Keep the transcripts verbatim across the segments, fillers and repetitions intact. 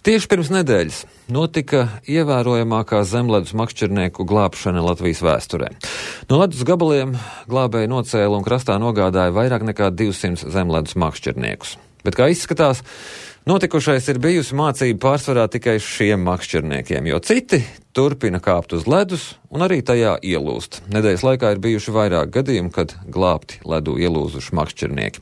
Tieši pirms nedēļas notika ievērojamākā zemledus makšķernieku glābšana Latvijas vēsturē. No ledus gabaliem glābēji nocēla un krastā nogādāja vairāk nekā divsimt zemledus makšķerniekus. Bet kā izskatās, notikušais ir bijusi mācība pārsvarā tikai šiem makšķerniekiem, jo citi turpina kāpt uz ledus un arī tajā ielūst. Nedēļas laikā ir bijuši vairāk gadījumu, kad glābti ledu ielūzuši makšķernieki.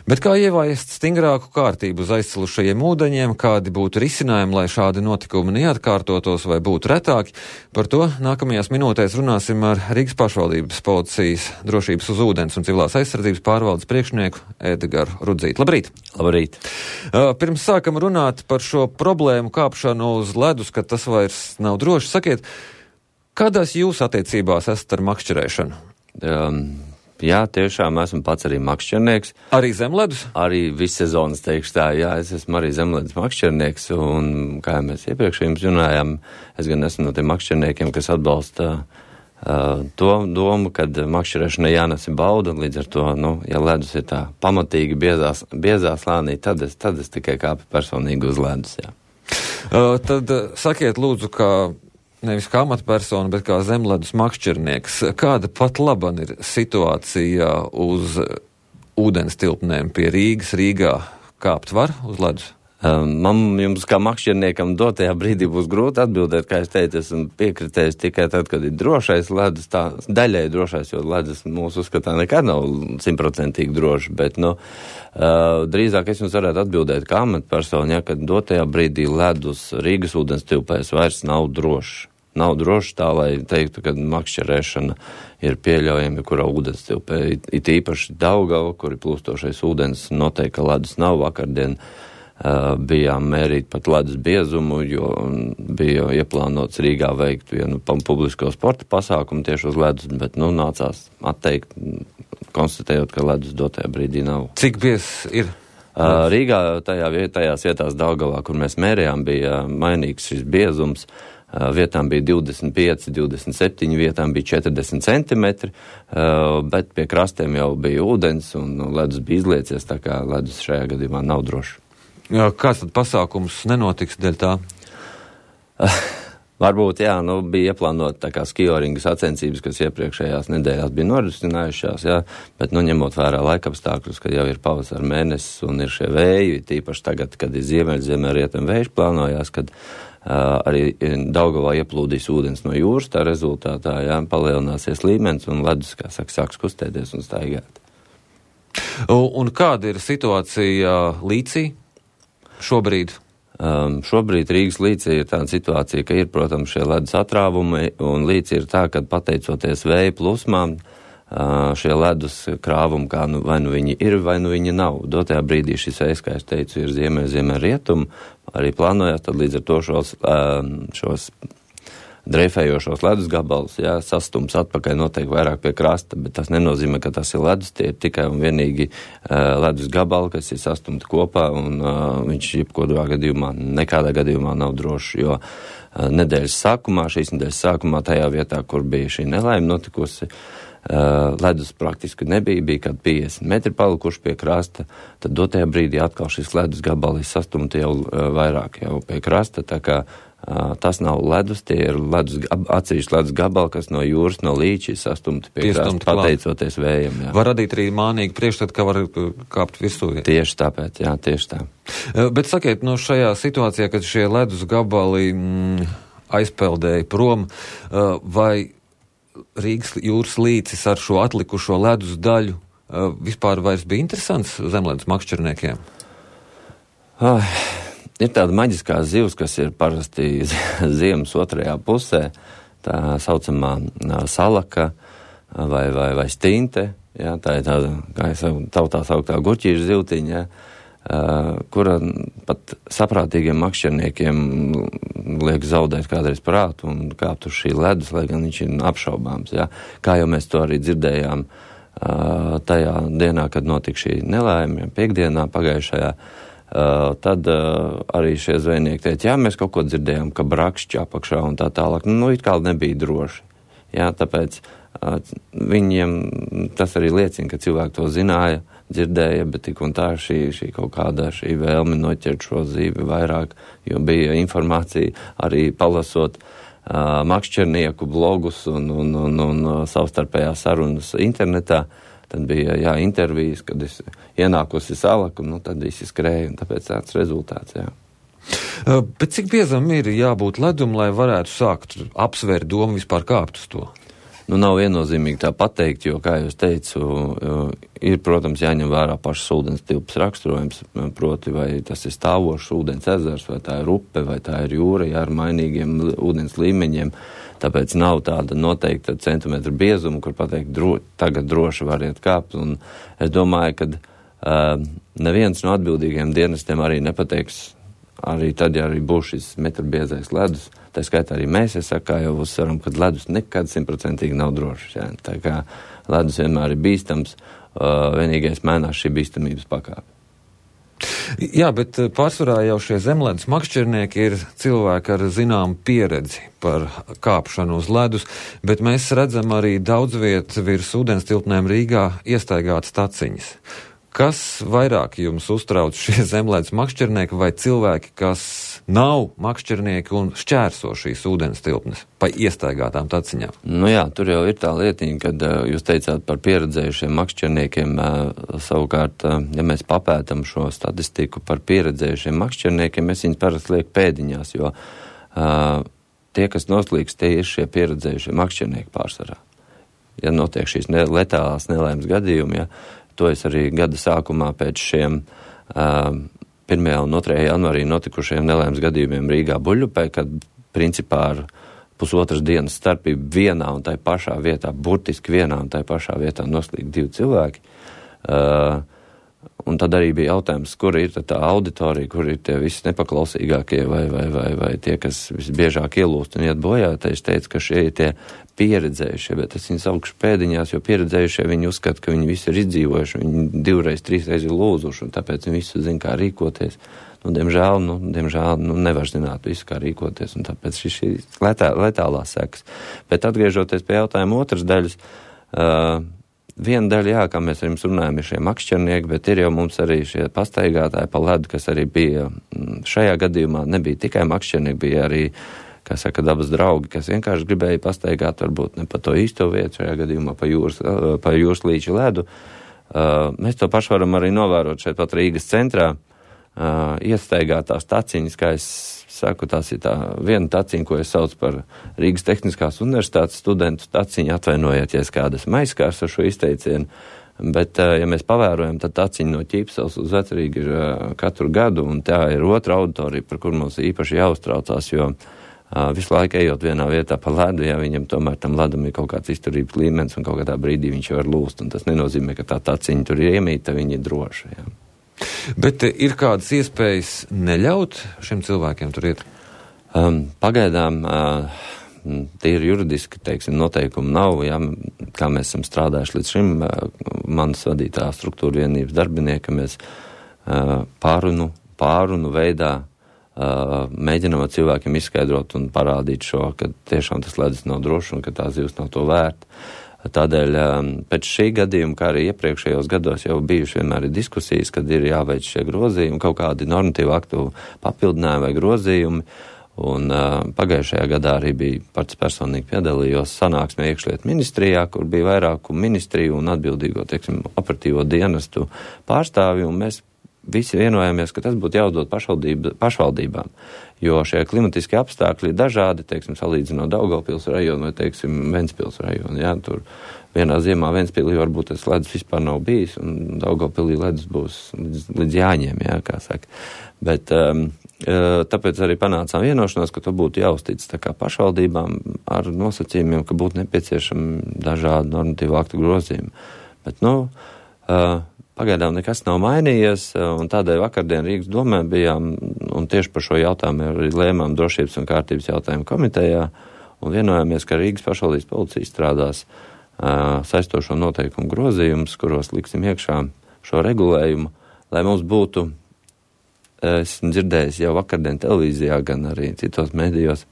Bet kā ieviest stingrāku kārtību uz aizcilušajiem ūdeņiem, kādi būtu risinājumi, lai šādi notikumi neatkārtotos vai būtu retāki, par to nākamajās minūtēs runāsim ar Rīgas pašvaldības policijas drošības uz ūdens un civilās aizsardzības pārvaldes priekšnieku Edgaru Rudzīti. Labrīt! Labrīt! Pirms sākam runāt par šo problēmu kāpšanu uz ledus, ka tas vairs nav droši, sakiet, kādās jūs attiecībās esat ar makšķerēšanu? Um, jā, tiešām esmu pats arī makšķernieks. Arī zemledus? Arī vissezonas, teikšu tā, jā, es esmu arī zemledus makšķernieks, un kā mēs iepriekš jums runājām, es gan esmu no tiem makšķerniekiem, kas atbalsta uh, to domu, kad makšķerēšana jānes ir bauda, līdz ar to, nu, ja ledus ir tā pamatīgi biezā, biezā slānī, tad es, tad es tikai kāpu personīgi uz ledus, jā. Uh, tad uh, sakiet lūdzu, kā nevis kā amatpersona, bet kā zemledus makšķernieks, kāda pat laban ir situācija uz ūdens tilpnēm pie Rīgas? Rīgā kāpt var uz ledus? Man jums kā makšķerniekam dotajā brīdī būs grūti atbildēt, kā es teicu, esmu piekritējis tikai tad, kad ir drošais ledus, tā daļai drošais, jo ledus mūsu uzskatā nekad nav simtprocentīgi droši, bet, nu, uh, drīzāk es jums varētu atbildēt kā amatpersona, ja, kad dotajā brīdī ledus Rīgas ūdens tilpēs vairs nav droši. Nav droši tā, lai teiktu, ka makšķerēšana ir pieļaujama, kurā ūdens tilpē. It, it īpaši Daugava, kur ir plūstošais ūdens, noteikti, ka ledus nav. Vakardien uh, bijām mērīt pat ledus biezumu, jo bija ieplānots Rīgā veikt vienu publisko sporta pasākumu tieši uz ledus, bet, nu, nācās atteikt, konstatējot, ka ledus dotajā brīdī nav. Cik biezs ir? Uh, Rīgā tajā, tajās vietās Daugavā, kur mēs mērījām, bija mainīgs šis biezums. Vietām bija divdesmit pieci, divdesmit septiņi, vietām bija četrdesmit centimetri, bet pie krastiem jau bija ūdens un ledus bija izliecies, tā kā ledus šajā gadījumā nav droši. Jā, kāds tad pasākums nenotiks dēļ tā? Varbūt, jā, nu, bija ieplānot tā kā skioringa sacensības, kas iepriekšējās nedēļās bija norisinājušās, jā, bet, nu, ņemot vērā laikapstākļus, kad jau ir pavasara mēnesis un ir šie vēji, tīpaši tagad, kad ir ziemeļ, ziemeļ rietam vējš plānojās, kad Uh, arī Daugavā ieplūdīs ūdens no jūras, tā rezultātā, jā, palielināsies līmenis un ledus, kā saka, sāks kustēties un staigāt. Un, un kāda ir situācija Līcī šobrīd? Um, šobrīd Rīgas Līcī ir tāda situācija, ka ir, protams, šie ledus atrāvumi, un Līcī ir tā, ka pateicoties vēja plūsmām, Uh, šie ledus krāvumi, kā nu, vai nu viņi ir, vai nu viņi nav. Dotajā brīdī šis vējs, kā es teicu, ir ziemē, ziemē rietumu, arī plānojās, tad līdz ar to šos, uh, šos dreifējošos ledus gabalus, jā, sastums atpakaļ noteikti vairāk pie krasta, bet tas nenozīmē, ka tas ir ledus, tie ir tikai un vienīgi uh, ledus gabali, kas ir sastumti kopā, un uh, viņš jebkurā gadījumā, nekādā gadījumā nav drošs, jo uh, nedēļas sākumā, šīs nedēļas sākumā tajā vietā, kur bija šī nelaime notikusi, Uh, ledus praktiski nebija, bija kādi piecdesmit metri palikuši pie krasta, tad dotajā brīdī atkal šis ledus gabalis sastumti jau uh, vairāk jau pie krasta, tā kā uh, tas nav ledus, tie ir ledus, atsevišķi ledus gabali, kas no jūras, no līča sastumti pie Piestumti krasta, pateicoties vējam. Jā. Var radīt arī mānīgi priekšstat, ka var kāpt virsū. Tieši tāpēc, jā, tieši tā. Uh, bet sakiet, no šajā situācijā, kad šie ledus gabali mm, aizpeldēja prom, uh, vai Rīgas jūras līcis ar šo atlikušo ledus daļu uh, vispār vairs bija interesants zemledus makšķerniekiem? Oh, ir tāda maģiskā zivs, kas ir parasti ziemas otrajā pusē, tā saucamā uh, salaka vai, vai, vai stinte, jā, tā ir tāda, kā es saku, tautā sauktā gurķīša zivtiņa, jā, Uh, kura pat saprātīgiem makšķerniekiem liek zaudēt kādreiz prātu un kāpt uz šī ledus, lai gan viņš ir apšaubāms. Jā. Kā jau mēs to arī dzirdējām uh, tajā dienā, kad notika šī nelaime, piekdienā pagājušajā, uh, tad uh, arī šie zvejnieki teica, jā, mēs kaut ko dzirdējām, ka brakšķi apakšā un tā tālāk. Nu, it kā nebija droši. Jā, tāpēc uh, viņiem tas arī liecina, ka cilvēki to zināja, dzirdēja, bet tik un tā šī, šī kaut kāda šī vēlme noķert šo zīvi vairāk, jo bija informācija arī palasot uh, makšķernieku blogus un, un, un, un savstarpējās sarunas internetā. Tad bija, jā, intervijas, kad es ienākusi salaku, nu, tad visi skrēja, un tāpēc tāds rezultāts, jā. Uh, bet cik biezam ir jābūt ledum, lai varētu sākt apsvērt domu vispār kāpt uz to? Nu, nav viennozīmīgi tā pateikt, jo, kā jūs teicu, ir, protams, jāņem vērā pašas ūdens tilpas raksturojums, proti, vai tas ir stāvošs ūdens ezers, vai tā ir upe, vai tā ir jūra, jā, ar mainīgiem ūdens līmeņiem. Tāpēc nav tāda noteikta centimetra biezuma, kur pateikt, dro, tagad droši variet kāpt. Un es domāju, ka uh, neviens no atbildīgiem dienestiem arī nepateiks, arī tad, ja arī būs šis metra biezais ledus, tā skaitā arī mēs, es saku, kā jau uzsveram, ka ledus nekad simtprocentīgi nav drošs. Jā. Tā kā ledus vienmēr ir bīstams, uh, vienīgais mainās šī bīstamības pakāpe. Jā, bet pārsvarā jau šie zemledus makšķernieki ir cilvēki ar zināmu pieredzi par kāpšanu uz ledus, bet mēs redzam arī daudz viet virs ūdens tilpnēm Rīgā iestaigātas taciņas. Kas vairāk jums uztrauc, šie zemledus makšķernieki vai cilvēki, kas nav makšķernieki un šķērso šīs ūdens tilpnes pa iestaigātām taciņām? Nu jā, tur jau ir tā lietiņa, kad uh, jūs teicāt par pieredzējušiem makšķerniekiem, uh, savukārt, uh, ja mēs papētam šo statistiku par pieredzējušiem makšķerniekiem, mēs viņus parasti liek pēdiņās, jo uh, tie, kas noslīgs, tie ir šie pieredzējušie makšķernieki pārsvarā. Ja notiek šīs ne- letālās nelaimes gadījumi, ja, to es arī gada sākumā pēc šiem uh, pirmajā un otrajā janvārī notikušajiem nelaimes gadījumiem Rīgā Buļļupē, kad principā ar pusotras dienas starpību vienā un tai pašā vietā, burtiski vienā un tai pašā vietā noslīd divi cilvēki. Uh, un tad arī bija jautājums, kur ir tā auditorija, kur ir tie visi nepaklausīgākie vai, vai, vai, vai tie, kas visbiežāk ielūst un iet bojā. Tad es teicu, ka šie ir tie pieredzējušie, bet es viņu saukšu pēdiņās, jo pieredzējušie viņi uzskata, ka viņi visi ir izdzīvojuši, viņi divreiz, trīsreiz ir lūzuši, un tāpēc viņi visu zina, kā rīkoties. Nu, diemžēl, nu, diemžēl, nu, nevar zināt visu, kā rīkoties, un tāpēc šis ir letā, letālās sekas. Bet atgriežoties pie jautājuma otras daļas, uh, viena daļa, jā, kā mēs ar jums runājam, ir šie makšķernieki, bet ir jau mums arī šie pastaigātāji pa ledu, kas arī bija šajā gadījumā, nebija tikai makšķernieki, bija arī, kā saka, dabas draugi, kas vienkārši gribēja pastaigāt, varbūt ne pa to īsto vietu, šajā gadījumā pa jūras, pa jūras līča ledu. Uh, mēs to pašu varam arī novērot šeit pat Rīgas centrā, uh, iestaigātās taciņas, kā es saku, tās ir tā viena taciņa, ko es saucu par Rīgas Tehniskās universitātes studentu taciņu, atvainojiet, ja es kādas maiskārs ar šo izteicienu, bet, ja mēs pavērojam, tad taciņa no Ķīpsels uz Vecrīgu ir katru gadu, un tā ir otra auditorija, par kur mums īpaši jāuztraucās, jo visu laiku ejot vienā vietā pa ledu, ja viņam tomēr tam ledum ir kaut kāds izturības līmenis, un kaut kādā brīdī viņš var lūst, un tas nenozīmē, ka tā taciņa tur ir iemīta, viņa ir droša, jā. Bet ir kādas iespējas neļaut šiem cilvēkiem tur iet? Um, pagaidām uh, tīri juridiski, teiksim, noteikumi nav, jā, kā mēs esam strādājuši līdz šim, uh, manas vadītā struktūra vienības darbinieka, mēs uh, pārunu, pārunu veidā uh, mēģinām cilvēkiem izskaidrot un parādīt šo, ka tiešām tas ledus nav drošs un ka tā zivs nav to vērta. Tādēļ pēc šī gadījuma, kā arī iepriekšējos gados jau bijuši vienmēr ir diskusijas, kad ir jāveic šie grozījumi, kaut kādi normatīvu aktu papildinājumi vai grozījumi, un uh, pagājušajā gadā arī bija pats personīgi piedalījos sanāksmē iekšlietu ministrijā, kur bija vairāku ministriju un atbildīgo, teiksim, operatīvo dienestu pārstāvju, un mēs visi vienojāmies, ka tas būtu jāuzdod pašvaldībām, jo šie klimatiskie apstākļi ir dažādi, teiksim, salīdzinot Daugavpils rajonu vai, teiksim, Ventspils rajonu, jā, tur vienā ziemā Ventspilī varbūt tas ledus vispār nav bijis, un Daugavpilī ledus būs līdz, līdz jāņem, jā, kā saka. Bet um, tāpēc arī panācām vienošanos, ka to būtu jāuztic tā kā pašvaldībām ar nosacījumiem, ka būtu nepieciešami dažādi normatīvu aktu grozījumi. Bet, nu, uh, pagaidām nekas nav mainījies, un tādēļ vakardien Rīgas domē bijām, un tieši par šo jautājumu arī lēmām drošības un kārtības jautājumu komitejā, un vienojāmies, ka Rīgas pašvaldības policija strādās uh, saistošo noteikumu grozījumus, kuros liksim iekšā šo regulējumu, lai mums būtu, esmu dzirdējis jau vakardien televīzijā, gan arī citos medijos,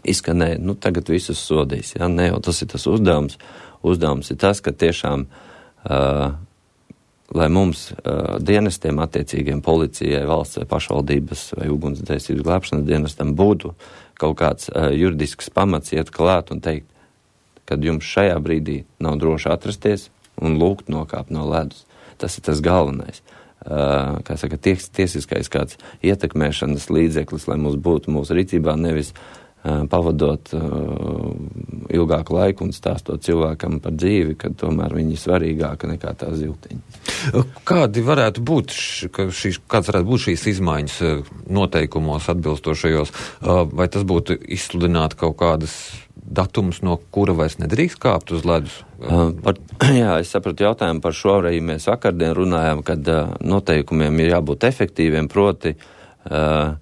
izskanēja, nu tagad visus sodīs, ja, ne, jo tas ir tas uzdevums. Uzdevums ir tas, ka tiešām uh, lai mums uh, dienestiem attiecīgiem policijai, valsts vai pašvaldības vai ugunsdzēsības glābšanas dienestam būtu kaut kāds uh, juridisks pamats iet klāt un teikt, kad jums šajā brīdī nav droši atrasties un lūgt nokāpt no ledus. Tas ir tas galvenais. Uh, kā saka, ties, tiesiskais kāds ietekmēšanas līdzeklis, lai mums būtu mūsu rīcībā nevis uh, pavadot uh, ilgāku laiku un stāstot cilvēkam par dzīvi, kad tomēr viņi ir svarīgāka nekā tā ziltiņa. Kādi varētu būt, š, ka šīs, kāds varētu būt šīs izmaiņas noteikumos atbilstošajos? Uh, vai tas būtu izsludināt kaut kādas datums, no kura vairs nedrīkst kāpt uz ledus? Uh, par, jā, es sapratu jautājumu par šo arī mēs vakardien runājām, kad uh, noteikumiem ir jābūt efektīviem, proti, uh,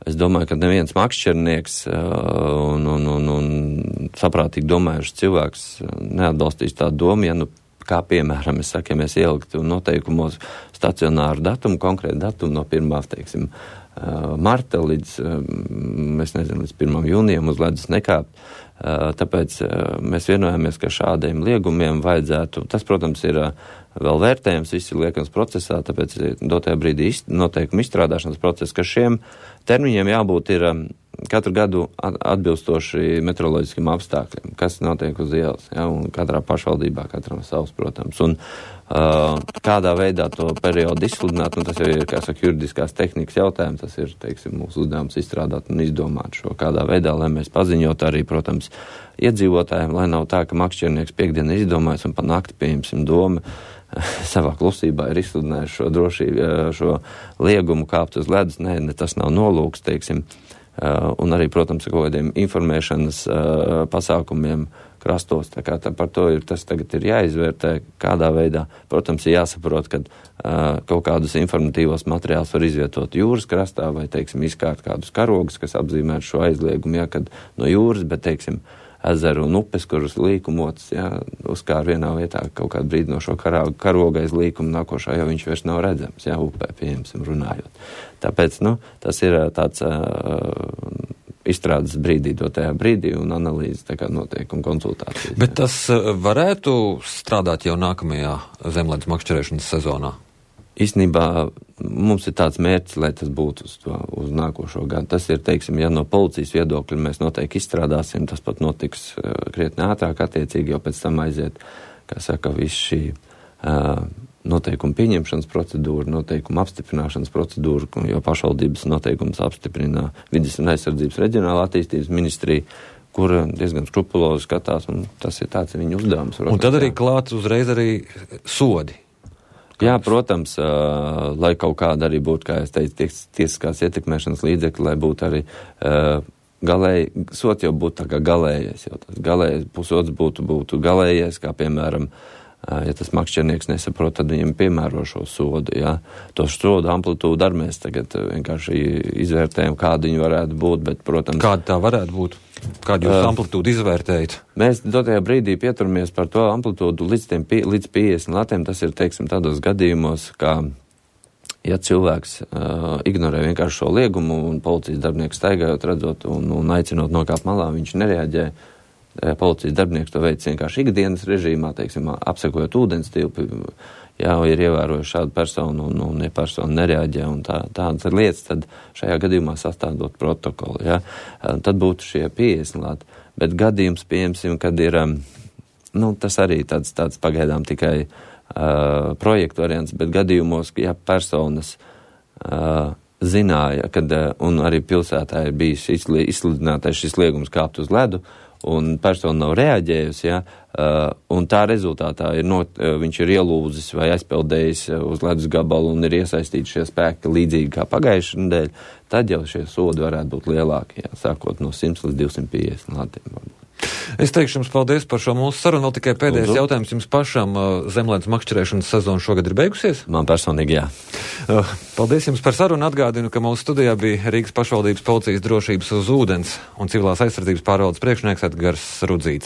es domāju, ka neviens makšķernieks uh, un, un, un, un saprātīgi domājušs cilvēks neatbalstīs tādu domu, ja nu, kā piemēram, es saku, ja mēs ieliktu noteikumos stacionāru datumu, konkrētu datumu no pirmā, teiksim, uh, marta līdz, uh, es nezinu, līdz pirmam jūnijam uz ledus nekāpt. Uh, tāpēc uh, mēs vienojāmies, ka šādiem liegumiem vajadzētu, tas, protams, ir uh, vēl vērtējums, viss ir liekams procesā, tāpēc dotajā brīdī ist, noteikumu izstrādāšanas process, ka šiem termiņiem jābūt ir um, katru gadu atbilstoši meteoroloģiskiem apstākļiem, kas notiek uz ielas, ja, un katrā pašvaldībā, katram savs, protams, un uh, kādā veidā to periodu izsludināt, un tas jau ir, kā saka, juridiskās tehnikas jautājums, tas ir, teiksim, mūsu uzdevums izstrādāt un izdomāt šo kādā veidā, lai mēs paziņot arī, protams, iedzīvotājiem, lai nav tā, ka makšķernieks piekdien ir izdomājis un pa nakti, pieņemsim, doma savā klusībā ir izsludinājuši šo drošību, šo liegumu kāpt uz ledus. Nē, ne, tas nav nolūks, teiksim, Uh, un arī, protams, kaut kādiem informēšanas uh, pasākumiem krastos. Tā kā tā par to ir, tas tagad ir jāizvērtē, kādā veidā. Protams, ir jāsaprot, ka uh, kaut kādus informatīvos materiālus var izvietot jūras krastā vai, teiksim, izkārt kādus karogus, kas apzīmētu šo aizliegumu, ja, kad no jūras, bet, teiksim, ezeru un upes, kuras līkumots, ja, uzkār vienā vietā kaut kādu brīdi no šo karoga aiz līkumu nākošā, jau viņš vairs nav redzams, ja, upē, pieņemsim, runājot. Tāpēc, nu, tas ir tāds uh, izstrādes brīdī, dotajā brīdī un analīzes tā kā noteikuma konsultācijas. Bet tas uh, varētu strādāt jau nākamajā zemledus makšķerēšanas sezonā? Īstenībā mums ir tāds mērķis, lai tas būtu uz, to, uz nākošo gadu. Tas ir, teiksim, ja no policijas viedokļa mēs noteikti izstrādāsim, tas pat notiks uh, krietni ātrāk attiecīgi, jo pēc tam aiziet, kā saka, viss šī uh, noteikuma pieņemšanas procedūra, noteikuma apstiprināšanas procedūra, jo pašvaldības noteikums apstiprina Vides un aizsardzības reģionāla attīstības ministrija, kur diezgan skrupulozi skatās, un tas ir tāds viņu uzdevums. Un tad arī klāt uzreiz arī sodi. Jā, protams, uh, lai kaut kāda arī būtu, kā es teicu, ties, tiesiskās ietekmēšanas līdzekļi, lai būtu arī uh, galēji, sots jau būtu tā kā galējais, jau tas galējais, pusots būtu, būtu galējais, kā piemēram, uh, ja tas makšķernieks nesaprot, tad viņam piemēro šo sodu, jā. To sodu amplitūdu arī mēs tagad vienkārši izvērtējam, kāda viņi varētu būt, bet, protams... Kāda tā varētu būt? Kādu jūs uh, amplitūdu izvērtējat? Mēs dotajā brīdī pieturamies par to amplitūdu līdz, tiem, līdz piecdesmit latiem. Tas ir, teiksim, tādos gadījumos, kā, ja cilvēks uh, ignorē vienkārši šo liegumu un policijas darbinieks staigājot, redzot un, un aicinot nokāpt malā, viņš nereaģē. Policijas darbinieks to veic vienkārši ikdienas režīmā, teiksim, apsekojot ūdens tilpi, jā, ir ievērojuši šādu personu un, un ja persona nereaģē un tā, tādas ir lietas, tad šajā gadījumā sastādot protokolu, jā. Tad būtu šie piecdesmit lati. Bet gadījums, pieņemsim, kad ir, nu, tas arī tāds, tāds pagaidām tikai uh, projektu variants, bet gadījumos, ja personas uh, zināja, kad, uh, un arī pilsētā ir bijis izsludinātais šis liegums kāpt uz ledu, un persona nav reaģējusi, ja, uh, un tā rezultātā ir not, uh, viņš ir ielūzis vai aizpeldējis uh, uz ledus gabalu un ir iesaistīti šie spēki līdzīgi kā pagājušajā nedēļā, tad jau šie sodi varētu būt lielāki, ja, sākot no simts līdz divsimt piecdesmit latiem. Es teikšu jums paldies par šo mūsu sarunu. Vēl tikai pēdējais Lūdzu. Jautājums jums pašam. Zemledus makšķerēšanas sezona šogad ir beigusies? Man personīgi, jā. Paldies jums par sarunu. Atgādinu, ka mūsu studijā bija Rīgas pašvaldības policijas drošības uz ūdens un civilās aizsardzības pārvaldes priekšnieks Edgars Rudzītis.